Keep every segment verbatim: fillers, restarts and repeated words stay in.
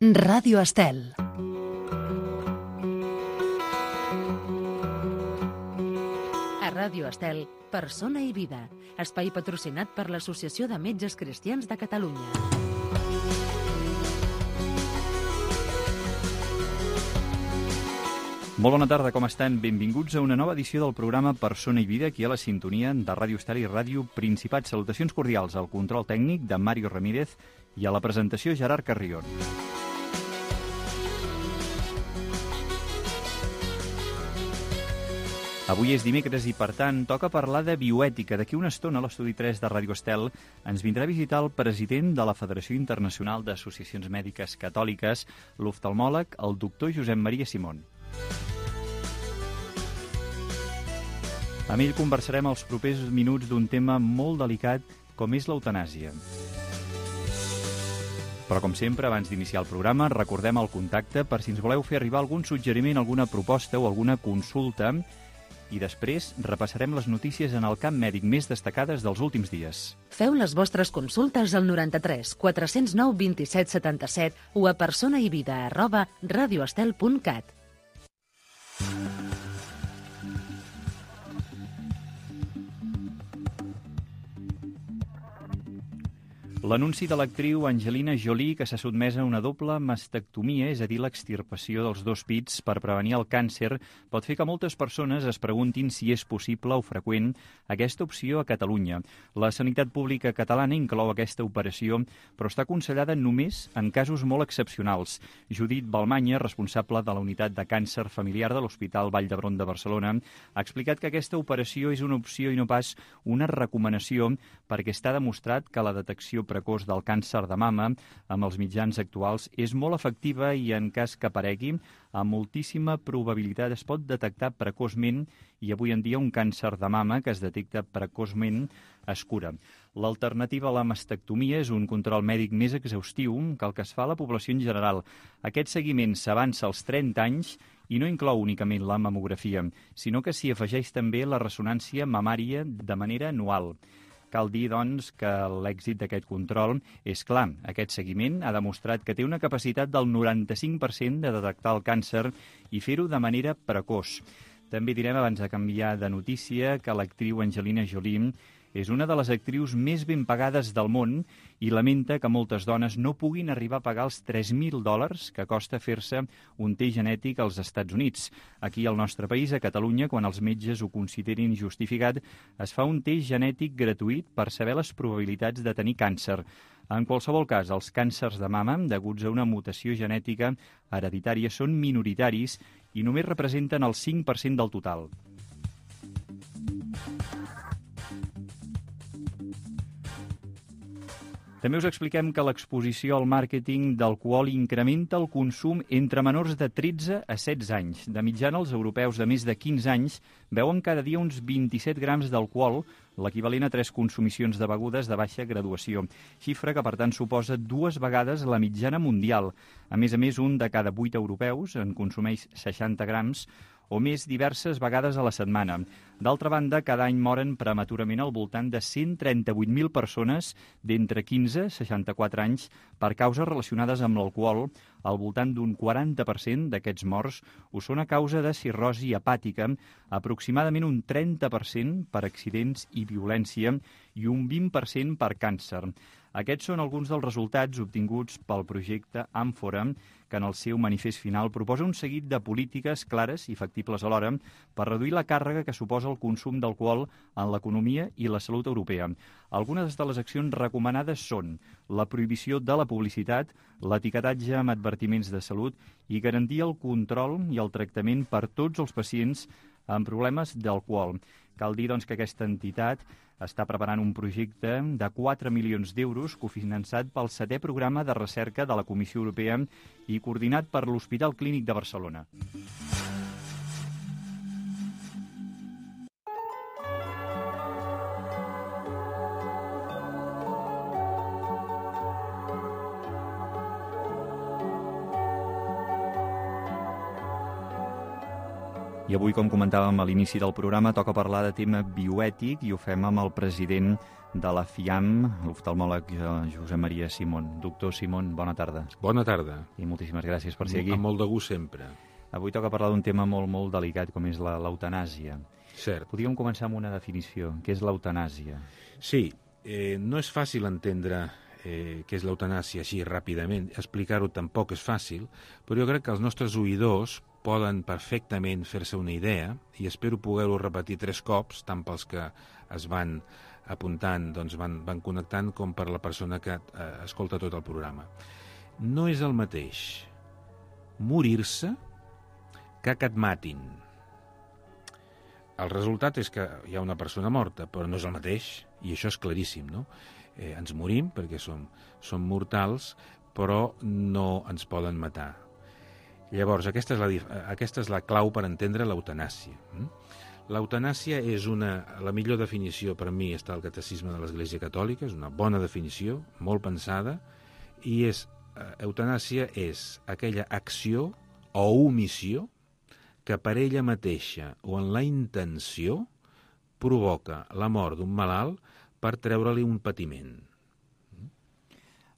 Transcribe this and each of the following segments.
Ràdio Estel. A Ràdio Estel, Persona i Vida, espai patrocinat per l'Associació de Metges Cristians de Catalunya. Molt bona tarda, com estan? Benvinguts a una nova edició del programa Persona i Vida, aquí a la sintonia de Ràdio Estel i Ràdio Principat. Salutacions cordials al control tècnic de Mario Ramírez i a la presentació Gerard Carrion. Avui és dimecres i, per tant, toca parlar de bioètica. D'aquí una estona, a l'estudi tres de Ràdio Estel, ens vindrà a visitar el president de la Federació Internacional d'Associacions Mèdiques Catòliques, l'oftalmòleg, el doctor Josep Maria Simón. Amb ell conversarem els propers minuts d'un tema molt delicat com és l'eutanàsia. Però, com sempre, abans d'iniciar el programa, recordem el contacte per si ens voleu fer arribar algun suggeriment, alguna proposta o alguna consulta. I després repassarem les notícies en el camp mèdic més destacades dels últims dies. Feu les vostres consultes al noranta-tres quatre cents nou vint-i-set setanta-set o a personaivida arroba radioestel punt cat. L'anunci de l'actriu Angelina Jolie que s'ha sotmès a una doble mastectomia, és a dir, l'extirpació dels dos pits per prevenir el càncer, pot fer que moltes persones es preguntin si és possible o freqüent aquesta opció a Catalunya. La sanitat pública catalana inclou aquesta operació, però està aconsellada només en casos molt excepcionals. Judit Balmanya, responsable de la unitat de càncer familiar de l'Hospital Vall d'Hebron de Barcelona, ha explicat que aquesta operació és una opció i no pas una recomanació perquè està demostrat que la detecció precoç del càncer de mama amb els mitjans actuals és molt efectiva i en cas que aparegui, amb moltíssima probabilitat es pot detectar precoçment i avui en dia un càncer de mama que es detecta precoçment es cura. L'alternativa a la mastectomia és un control mèdic més exhaustiu que el que es fa a la població en general. Aquest seguiment s'avança als trenta anys i no inclou únicament la mamografia, sinó que s'hi afegeix també la ressonància mamària de manera anual. Cal dir, doncs, que l'èxit d'aquest control és clar. Aquest seguiment ha demostrat que té una capacitat del noranta-cinc per cent de detectar el càncer i fer-ho de manera precoç. També direm, abans de canviar de notícia, que l'actriu Angelina Jolie és una de les actrius més ben pagades del món i lamenta que moltes dones no puguin arribar a pagar els tres mil dòlars que costa fer-se un test genètic als Estats Units. Aquí al nostre país, a Catalunya, quan els metges ho considerin justificat, es fa un test genètic gratuït per saber les probabilitats de tenir càncer. En qualsevol cas, els càncers de mama, deguts a una mutació genètica hereditària, són minoritaris i només representen el cinc per cent del total. També us expliquem que l'exposició al màrqueting d'alcohol incrementa el consum entre menors de tretze a setze anys. De mitjana, els europeus de més de quinze anys beuen cada dia uns vint-i-set grams d'alcohol, l'equivalent a tres consumicions de begudes de baixa graduació, xifra que, per tant, suposa dues vegades la mitjana mundial. A més a més, un de cada vuit europeus en consumeix seixanta grams, o més diverses vegades a la setmana. D'altra banda, cada any moren prematurament al voltant de cent trenta-vuit mil persones d'entre quinze i seixanta-quatre anys per causes relacionades amb l'alcohol. Al voltant d'un quaranta per cent d'aquests morts ho són a causa de cirrosi hepàtica, aproximadament un trenta per cent per accidents i violència i un vint per cent per càncer. Aquests són alguns dels resultats obtinguts pel projecte Àmfora, que en el seu manifest final proposa un seguit de polítiques clares i factibles alhora per reduir la càrrega que suposa el consum d'alcohol en l'economia i la salut europea. Algunes de les accions recomanades són la prohibició de la publicitat, l'etiquetatge amb advertiments de salut i garantir el control i el tractament per tots els pacients amb problemes d'alcohol. Cal dir, doncs, que aquesta entitat està preparant un projecte de quatre milions d'euros cofinançat pel setè programa de recerca de la Comissió Europea i coordinat per l'Hospital Clínic de Barcelona. I avui, com comentàvem a l'inici del programa, toca parlar de tema bioètic i ho fem amb el president de la FIAM, l'oftalmòleg Josep Maria Simón. Doctor Simón, bona tarda. Bona tarda. I moltíssimes gràcies per ser aquí. Amb molt de gust sempre. Avui toca parlar d'un tema molt, molt delicat, com és l'eutanàsia. Cert. Podríem començar amb una definició. Què és l'eutanàsia? Sí, eh, no és fàcil entendre eh, què és l'eutanàsia així ràpidament. Explicar-ho tampoc és fàcil, però jo crec que els nostres oïdors poden perfectament fer-se una idea i espero poder-ho repetir tres cops, tant pels que es van apuntant, doncs van, van connectant, com per la persona que eh, escolta tot el programa. No és el mateix morir-se que que et matin. El resultat és que hi ha una persona morta, però no és el mateix, i això és claríssim, no? Eh, ens morim perquè som, som mortals, però no ens poden matar. Llavors, aquesta és la, aquesta és la clau per entendre l'eutanàsia. L'eutanàsia és una... La millor definició per mi està al Catecisme de l'Església Catòlica, és una bona definició, molt pensada, i és, eutanàsia és aquella acció o omissió que per ella mateixa o en la intenció provoca la mort d'un malalt per treure-li un patiment.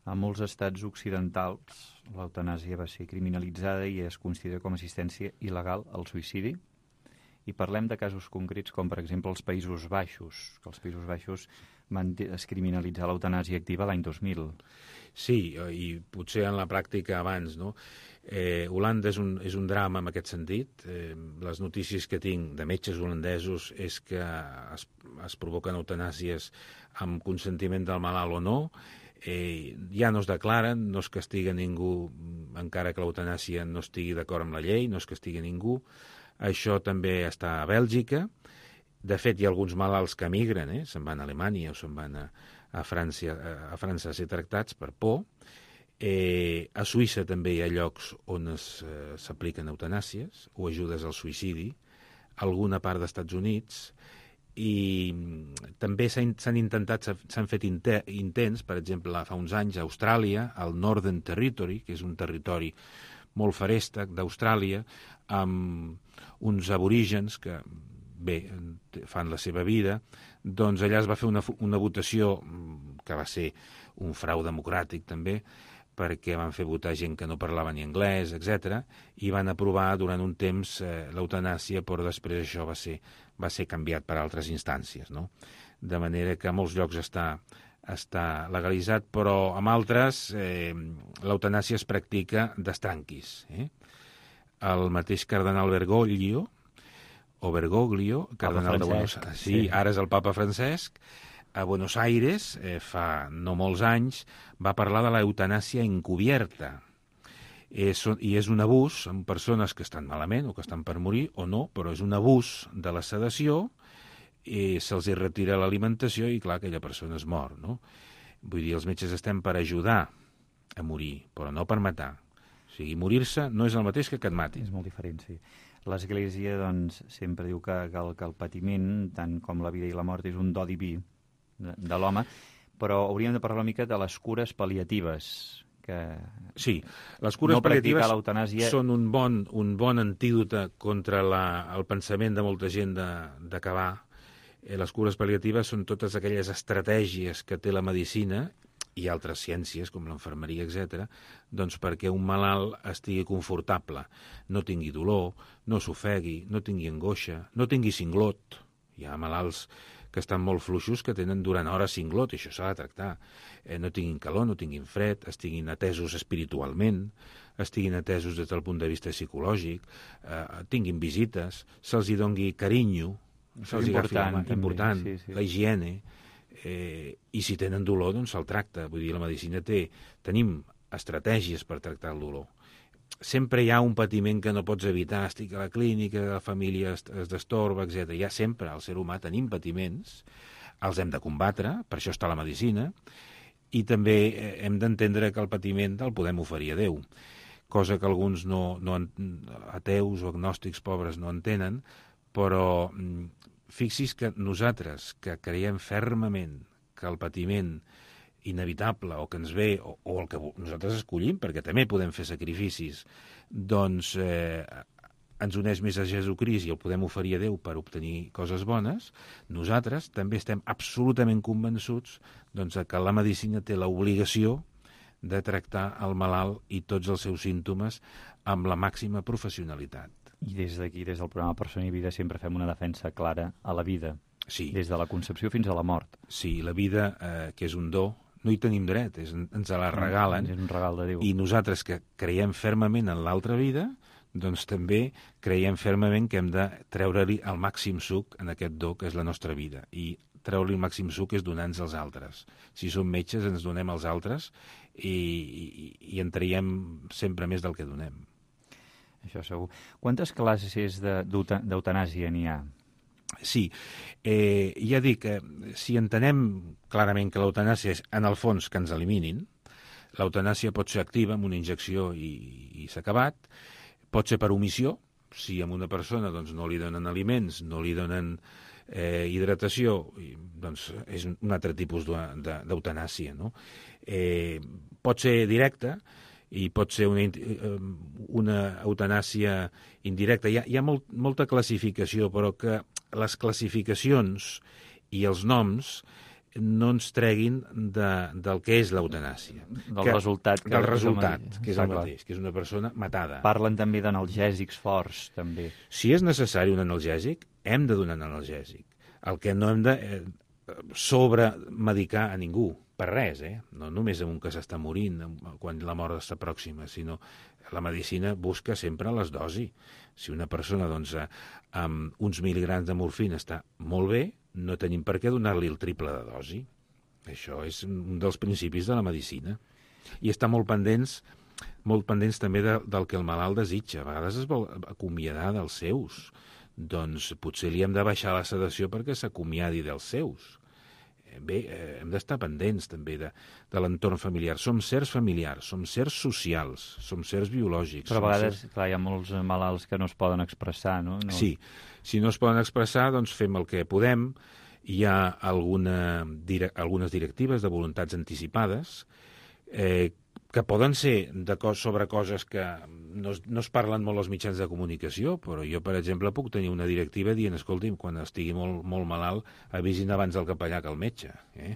A molts estats occidentals l'eutanàsia va ser criminalitzada i es considera com a assistència il·legal al suïcidi. I parlem de casos concrets com, per exemple, els Països Baixos, que els Països Baixos van criminalitzar l'eutanàsia activa l'any dos mil. Sí, i potser en la pràctica abans, no? Eh, Holanda és un, és un drama en aquest sentit. Eh, les notícies que tinc de metges holandesos és que es, es provoquen eutanàsies amb consentiment del malalt o no. Eh, ja no es declaren, no es castiga ningú, encara que l'eutanàsia no estigui d'acord amb la llei, no es castiga ningú. Això també està a Bèlgica. De fet, hi ha alguns malalts que emigren, eh? Se'n van a Alemanya o se'n van a, a, França, a França a ser tractats per por. Eh, a Suïssa també hi ha llocs on s'apliquen eh, eutanàsies o ajudes al suïcidi, alguna part dels Estats Units, i també s'han intentat, s'han fet intents, per exemple, fa uns anys a Austràlia, al Northern Territory, que és un territori molt feréstec d'Austràlia, amb uns aborígens que, bé, fan la seva vida, doncs allà es va fer una, una votació que va ser un frau democràtic també, perquè van fer votar gent que no parlava ni anglès, etcètera, i van aprovar durant un temps eh, l'eutanàsia, però després això va ser, va ser canviat per altres instàncies, no? De manera que a molts llocs està, està legalitzat, però en altres eh, l'eutanàsia es practica d'estranquis. Eh? El mateix cardenal Bergoglio, o Bergoglio, cardenal de Buenos Aires, sí, sí, ara és el papa Francesc, a Buenos Aires, eh, fa no molts anys, va parlar de l'eutanàsia encubierta. És, I és un abús amb persones que estan malament o que estan per morir o no, però és un abús de la sedació, i se'ls retira l'alimentació i, clar, aquella persona es mor, no? Vull dir, els metges estem per ajudar a morir, però no per matar. O sigui, morir-se no és el mateix que que et matin. És molt diferent, sí. L'Església, doncs, sempre diu que, que, el, que el patiment, tant com la vida i la mort, és un do diví de, de l'home, però hauríem de parlar una mica de les cures pal·liatives. Que sí, les cures no pal·liatives l'eutanàsia... són un bon, un bon antídot contra la, el pensament de molta gent d'acabar. Eh, les cures pal·liatives són totes aquelles estratègies que té la medicina i altres ciències, com l'enfermeria, etcètera, doncs perquè un malalt estigui confortable, no tingui dolor, no s'ofegui, no tingui angoixa, no tingui cinglot. Hi ha malalts que estan molt fluixos que tenen durant hores cinglot, i això s'ha de tractar. Eh, no tinguin calor, no tinguin fred, estiguin atesos espiritualment, estiguin atesos des del punt de vista psicològic, eh, tinguin visites, se'ls hi dongui carinyo, se'ls hi agafi la mà, important, sí, sí. La higiene, eh, i si tenen dolor, doncs se'l tracta. Vull dir, la medicina té, tenim estratègies per tractar el dolor. Sempre hi ha un patiment que no pots evitar, estic a la clínica, la família es, es destorba, etcètera. Hi ha sempre, al ser humà tenim patiments, els hem de combatre, per això està la medicina, i també hem d'entendre que el patiment el podem oferir a Déu, cosa que alguns no, no, ateus o agnòstics pobres no entenen, però fixi's que nosaltres, que creiem fermament que el patiment inevitable o que ens ve, o, o el que nosaltres escollim, perquè també podem fer sacrificis, doncs eh, ens uneix més a Jesucrist i el podem oferir a Déu per obtenir coses bones, nosaltres també estem absolutament convençuts doncs, que la medicina té l'obligació de tractar el malalt i tots els seus símptomes amb la màxima professionalitat. I des d'aquí, des del programa Persona i Vida, sempre fem una defensa clara a la vida, sí. Des de la concepció fins a la mort. Sí, la vida, eh, que és un do, no hi tenim dret, és, ens la regalen, és un regal de Déu. I nosaltres que creiem fermament en l'altra vida, doncs també creiem fermament que hem de treure-li el màxim suc en aquest do que és la nostra vida. I treure-li el màxim suc és donar-nos als altres. Si som metges, ens donem als altres i, i, i en traiem sempre més del que donem. Això segur. Quantes classes d'eutanàsia n'hi ha? Sí, eh, ja dic, eh, si entenem clarament que l'eutanàsia és, en el fons, que ens eliminin, l'eutanàsia pot ser activa amb una injecció i, i s'ha acabat, pot ser per omissió, si a una persona doncs, no li donen aliments, no li donen eh, hidratació, doncs és un altre tipus d'eutanàsia, no? Eh, pot ser directa, i pot ser una, una eutanàsia indirecta. Hi ha, hi ha molt, molta classificació, però que les classificacions i els noms no ens treguin de, del que és l'eutanàsia. Del que, resultat. Que del resultat, és que és el mateix, que és una persona matada. Parlen també d'analgèsics forts, també. Si és necessari un analgèsic, hem de donar un analgèsic. El que no hem de eh, sobremedicar a ningú, per res, eh? No només amb un que s'està morint quan la mort està pròxima, sinó la medicina busca sempre les dosis. Si una persona doncs, amb uns mil·ligrams de morfina està molt bé, no tenim per què donar-li el triple de dosi. Això és un dels principis de la medicina. I està molt pendents, molt pendents també de, del que el malalt desitja. A vegades es vol acomiadar dels seus. Doncs potser li hem de baixar la sedació perquè s'acomiadi dels seus. Bé, eh, hem d'estar pendents també de, de l'entorn familiar. Som sers familiars, som sers socials, som sers biològics. Però a vegades, sers... clar, hi ha molts malalts que no es poden expressar, no? no? Sí, si no es poden expressar, doncs fem el que podem. Hi ha alguna, dire, algunes directives de voluntats anticipades eh, que poden ser de cos, sobre coses que no es, no es parlen molt als mitjans de comunicació, però jo, per exemple, puc tenir una directiva dient, escolti'm, quan estigui molt, molt malalt, avisin abans el capellà que el metge. Eh?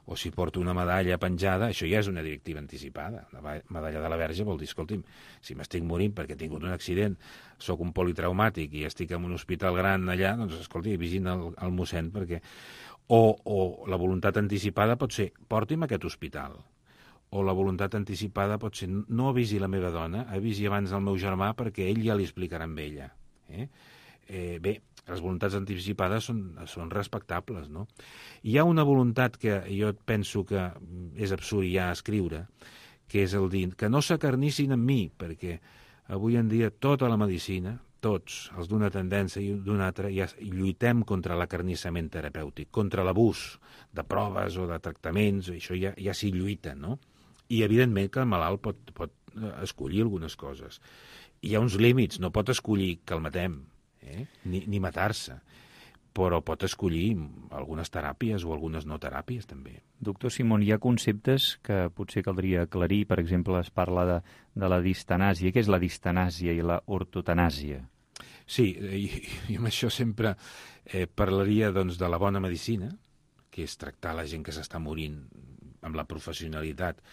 O si porto una medalla penjada, això ja és una directiva anticipada. La medalla de la Verge vol dir, escolti'm, si m'estic morint perquè he tingut un accident, sóc un politraumàtic i estic en un hospital gran allà, doncs, escolti, avisin el, el mossèn perquè... O, o la voluntat anticipada pot ser, porti'm a aquest hospital. O la voluntat anticipada pot ser, no avisi la meva dona, avisi abans el meu germà perquè ell ja li explicarà amb ella. Eh? Eh, bé, les voluntats anticipades són, són respectables, no? Hi ha una voluntat que jo penso que és absurd ja escriure, que és el dir que no s'acarnissin amb mi, perquè avui en dia tota la medicina, tots, els d'una tendència i d'una altra, ja lluitem contra l'acarnissament terapèutic, contra l'abús de proves o de tractaments, això ja, ja s'hi lluita, no? I, evidentment, que el malalt pot, pot escollir algunes coses. Hi ha uns límits, no pot escollir que el matem, eh? ni, ni matar-se, però pot escollir algunes teràpies o algunes no teràpies, també. Doctor Simón, hi ha conceptes que potser caldria aclarir. Per exemple, es parla de, de la distanàsia. Què és la distanàsia i la ortotanàsia? Sí, i, i amb això sempre eh, parlaria doncs, de la bona medicina, que és tractar la gent que s'està morint amb la professionalitat,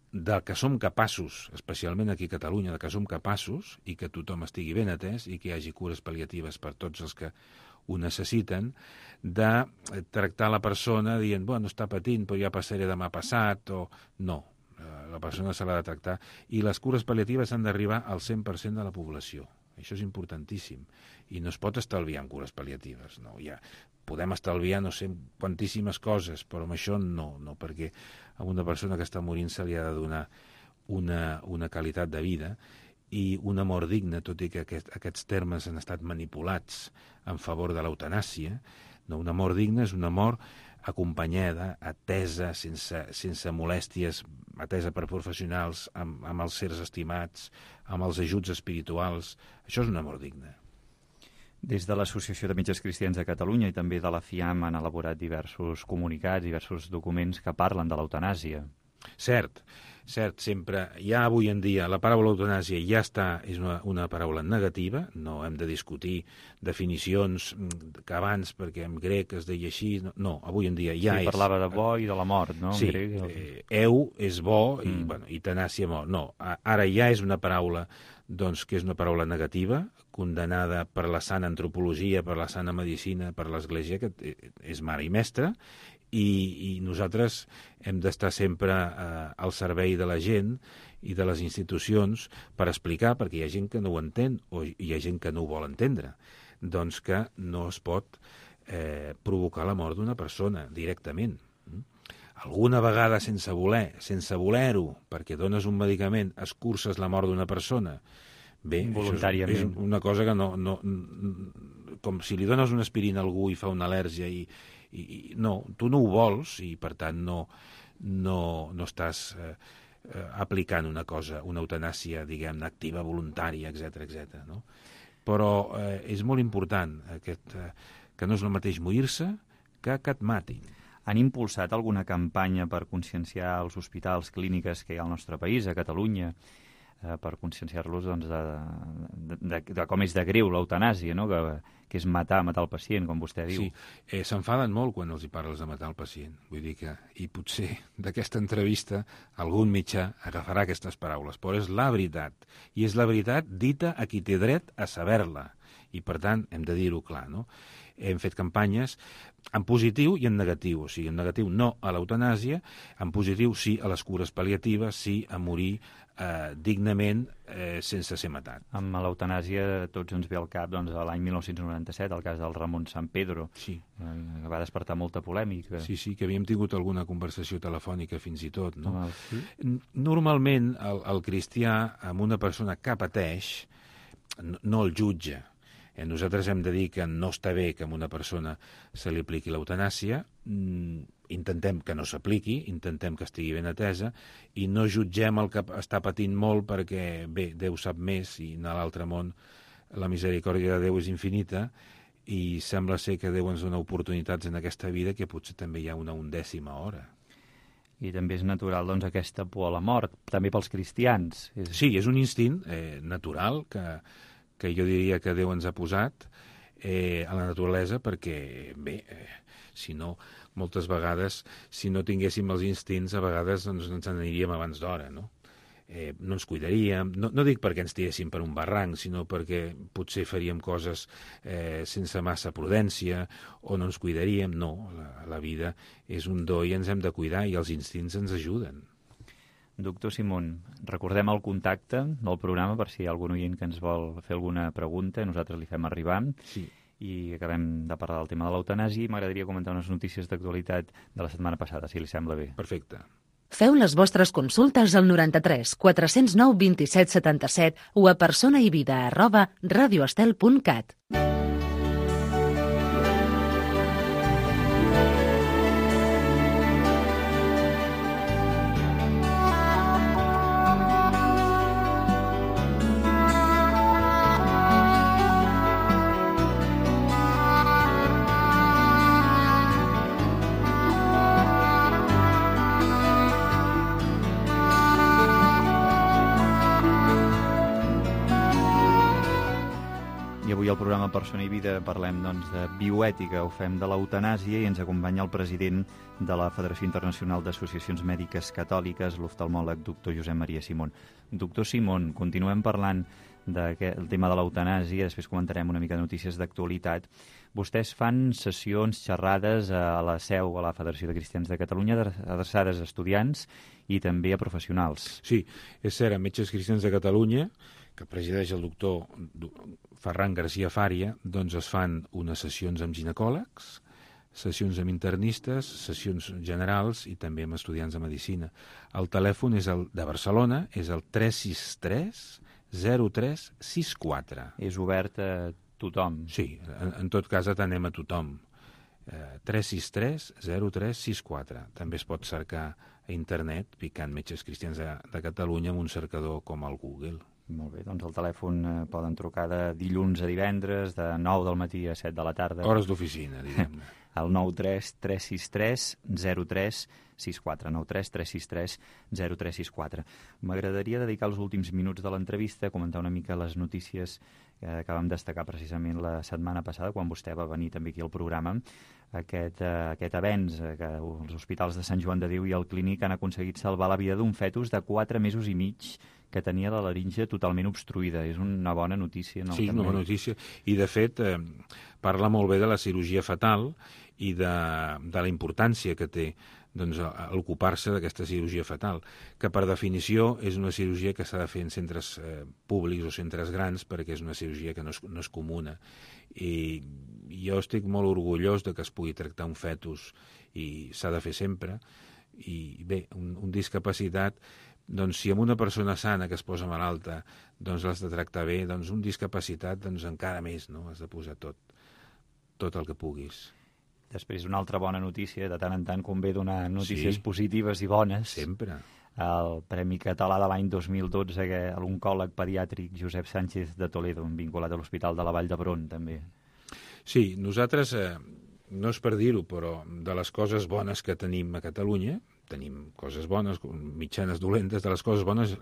de que som capaços, especialment aquí a Catalunya, de que som capaços i que tothom estigui ben atès i que hi hagi cures pal·liatives per tots els que ho necessiten, de tractar la persona dient, bueno, està patint, però ja passaré demà passat, o no, la persona se l'ha de tractar. I les cures pal·liatives han d'arribar al cent per cent de la població. Això és importantíssim. I no es pot estalviar en cures pal·liatives. No, ja podem estalviar no sé quantíssimes coses, però amb això no, no, perquè a una persona que està morint se li ha de donar una, una qualitat de vida i una mort digna, tot i que aquest, aquests termes han estat manipulats en favor de l'eutanàsia. No, una mort digna és una mort acompanyada, atesa, sense, sense molèsties, atesa per professionals, amb, amb els sers estimats, amb els ajuts espirituals. Això és una mort digna. Des de l'Associació de Metges Cristians de Catalunya i també de la FIAM han elaborat diversos comunicats, diversos documents que parlen de l'eutanàsia. Cert, cert, sempre, ja avui en dia, la paraula eutanàsia ja està, és una, una paraula negativa, no hem de discutir definicions que abans, perquè en grec es deia així, no, no avui en dia ja sí, és... parlava de bo i de la mort, no? Sí, en grec, el... eh, eu és bo i, mm. bueno, i tenàcia mort. No, ara ja és una paraula doncs, que és una paraula negativa, condenada per la sana antropologia, per la sana medicina, per l'Església, que és mare i mestra, i, i nosaltres hem d'estar sempre eh, al servei de la gent i de les institucions per explicar, perquè hi ha gent que no ho entén o hi ha gent que no ho vol entendre, doncs que no es pot eh, provocar la mort d'una persona directament. Alguna vegada sense voler, sense voler-ho, perquè dones un medicament, escurces la mort d'una persona, bé, voluntàriament. Això és, és una cosa que no, no... Com si li dones una aspirina a algú i fa una al·lèrgia i, i, i no, tu no ho vols i per tant no, no, no estàs eh, eh, aplicant una cosa, una eutanàsia, diguem-ne, activa, voluntària, etcètera, etcètera, no? Però eh, és molt important aquest, eh, que no és el mateix morir-se que que et matin. Han impulsat alguna campanya per conscienciar els hospitals, clíniques que hi ha al nostre país, a Catalunya, eh, per conscienciar-los doncs, de, de, de, de com és de greu l'eutanàsia, no? que, que és matar, matar el pacient, com vostè diu. Sí, eh, s'enfaden molt quan els hi parles de matar el pacient. Vull dir que, i potser d'aquesta entrevista algun mitjà agafarà aquestes paraules, però és la veritat. I és la veritat dita a qui té dret a saber-la. I, per tant, hem de dir-ho clar, no? Hem fet campanyes en positiu i en negatiu. O sigui, en negatiu no a l'eutanàsia, en positiu sí a les cures pal·liatives, sí a morir eh, dignament eh, sense ser matat. Amb l'eutanàsia tots ens ve al cap doncs, l'any mil nou-cents noranta-set, el cas del Ramon San Pedro, sí. eh, que va despertar molta polèmica. Sí, sí, que havíem tingut alguna conversació telefònica fins i tot. No? Ah, sí? Normalment el, el cristià amb una persona que pateix no, no el jutja. Nosaltres hem de dir que no està bé que a una persona se li apliqui l'eutanàsia, intentem que no s'apliqui, intentem que estigui ben atesa, i no jutgem el que està patint molt perquè, bé, Déu sap més, i a l'altre món la misericòrdia de Déu és infinita, i sembla ser que Déu ens dona oportunitats en aquesta vida que potser també hi ha una undècima hora. I també és natural, doncs, aquesta por a la mort, també pels cristians. És... Sí, és un instint eh, natural que... que jo diria que Déu ens ha posat eh, a la naturalesa perquè, bé, eh, si no, moltes vegades, si no tinguéssim els instints, a vegades doncs, ens aniríem abans d'hora, no? Eh, no ens cuidaríem, no, no dic perquè ens tiréssim per un barranc, sinó perquè potser faríem coses eh, sense massa prudència o no ens cuidaríem, no, la, la vida és un do i ens hem de cuidar i els instints ens ajuden. Doctor Simón, recordem el contacte del programa per si hi ha algun oient que ens vol fer alguna pregunta, nosaltres li fem arribar. Sí. I acabem de parlar del tema de l'eutanàsia i m'agradaria comentar unes notícies d'actualitat de la setmana passada, si li sembla bé. Perfecte. Feu les vostres consultes al noranta-tres quatre cents nou vint-i-set setanta-set o a personaivida arroba radioestel punt cat. Al programa Persona i Vida parlem doncs, de bioètica, ho fem de l'eutanàsia i ens acompanya el president de la Federació Internacional d'Associacions Mèdiques Catòliques, l'oftalmòleg doctor Josep Maria Simón. Doctor Simón, continuem parlant del tema de l'eutanàsia, després comentarem una mica de notícies d'actualitat. Vostès fan sessions, xerrades a la seu, a la Federació de Cristians de Catalunya, adreçades a estudiants i també a professionals. Sí, és cert, a Metges Cristians de Catalunya, que presideix el doctor Ferran García Fària, doncs es fan unes sessions amb ginecòlegs, sessions amb internistes, sessions generals i també amb estudiants de medicina. El telèfon és el de Barcelona, és el tres sis tres zero tres sis quatre. És obert a tothom. Sí, en, en tot cas atenem a tothom. Eh, tres sis tres zero tres sis quatre. També es pot cercar a internet picant Metges Cristians de, de Catalunya amb un cercador com el Google. Molt bé, doncs el telèfon eh, poden trucar de dilluns a divendres, de nou del matí a set de la tarda. Hores d'oficina, diguem-ne. al nou tres tres sis tres zero tres sis quatre, nou tres tres sis tres zero tres sis quatre. M'agradaria dedicar els últims minuts de l'entrevista a comentar una mica les notícies eh, que vam destacar precisament la setmana passada, quan vostè va venir també aquí al programa, aquest, eh, aquest avenç eh, que els hospitals de Sant Joan de Déu i el Clínic han aconseguit salvar la vida d'un fetus de quatre mesos i mig que tenia la laringe totalment obstruïda. És una bona notícia, no? Sí, és una bona notícia. I, de fet, eh, parla molt bé de la cirurgia fetal i de, de la importància que té doncs, ocupar-se d'aquesta cirurgia fetal, que per definició és una cirurgia que s'ha de fer en centres eh, públics o centres grans, perquè és una cirurgia que no és, no és comuna. I jo estic molt orgullós de que es pugui tractar un fetus i s'ha de fer sempre. I bé, un, un discapacitat, doncs si amb una persona sana que es posa malalta doncs l'has de tractar bé, doncs un discapacitat doncs encara més, no? Has de posar tot, tot el que puguis. Després, una altra bona notícia, de tant en tant convé donar notícies Sí. positives i bones. Sempre. El Premi Català de l'any dos mil dotze a l'oncòleg pediàtric Josep Sánchez de Toledo, vinculat a l'Hospital de la Vall d'Hebron, també. Sí, nosaltres, eh, no és per dir-ho, però de les coses bones que tenim a Catalunya, tenim coses bones, mitjanes dolentes, de les coses bones,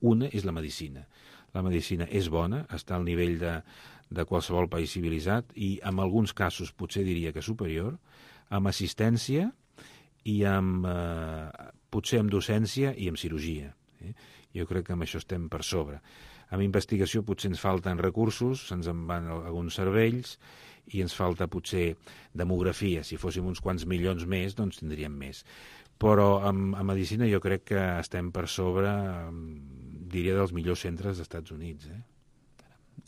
una és la medicina. La medicina és bona, està al nivell de, de qualsevol país civilitzat i en alguns casos potser diria que superior, amb assistència i amb, eh, potser amb docència i amb cirurgia. Eh? Jo crec que amb això estem per sobre. Amb investigació potser ens falten recursos, se'ns en van alguns cervells i ens falta potser demografia. Si fóssim uns quants milions més, doncs tindríem més. Però amb, amb medicina jo crec que estem per sobre, diria, dels millors centres dels Estats Units. Eh?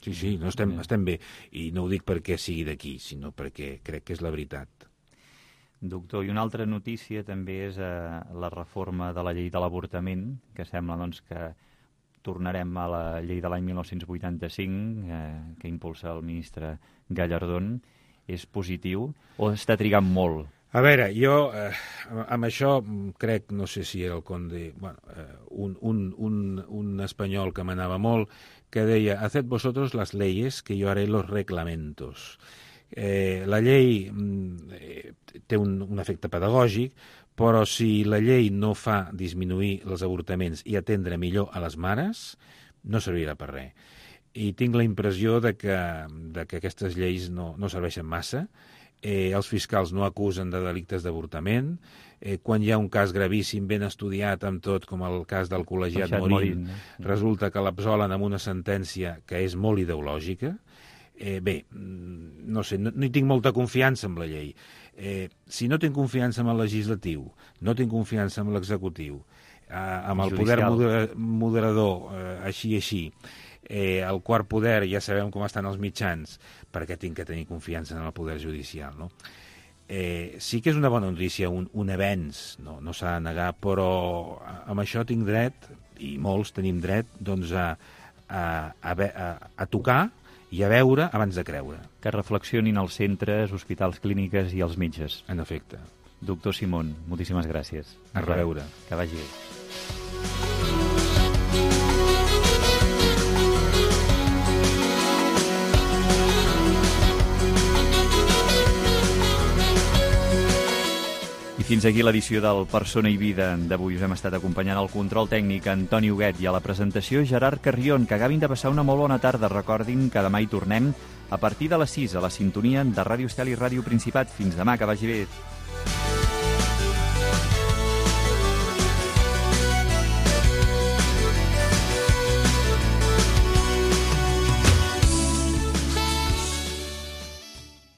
Sí, sí, no estem, estem bé. I no ho dic perquè sigui d'aquí, sinó perquè crec que és la veritat. Doctor, i una altra notícia també és eh, la reforma de la llei de l'avortament, que sembla doncs, que tornarem a la llei de l'any mil nou-cents vuitanta-cinc, eh, que impulsa el ministre Gallardón. És positiu o està trigant molt? A veure, jo eh, amb això crec, no sé si era el conde, bueno, eh, un, un, un, un espanyol que m'anava molt, que deia, haced vosotros las leyes que yo haré los reglamentos. Eh, la llei eh, té un, un efecte pedagògic, però si la llei no fa disminuir els avortaments i atendre millor a les mares, no servirà per res. I tinc la impressió de que, de que aquestes lleis no, no serveixen massa. Eh, els fiscals no acusen de delictes d'avortament. Eh, quan hi ha un cas gravíssim, ben estudiat amb tot, com el cas del col·legiat Morín, Morín, resulta que l'absolen amb una sentència que és molt ideològica. Eh, bé, no sé, no, no hi tinc molta confiança en la llei. Eh, si no tinc confiança en el legislatiu, no tinc confiança en l'executiu, eh, amb el poder moder, moderador, eh, així i així, eh, el quart poder, ja sabem com estan els mitjans, perquè tinc que tenir confiança en el poder judicial, no? Eh, sí que és una bona notícia, un, un avenç, no, no s'ha de negar, però amb això tinc dret, i molts tenim dret, doncs a, a, a, a, a tocar i a veure abans de creure. Que reflexionin els centres, hospitals, clíniques i els metges. En efecte. Doctor Simón, moltíssimes gràcies. A reveure. Que vagi bé. Fins aquí l'edició del Persona i Vida d'avui. Us hem estat acompanyant al control tècnic Antoni Huguet i a la presentació Gerard Carrion. Que acabin de passar una molt bona tarda. Recordin que demà hi tornem a partir de les sis a la sintonia de Ràdio Estel i Ràdio Principat. Fins demà, que vagi bé.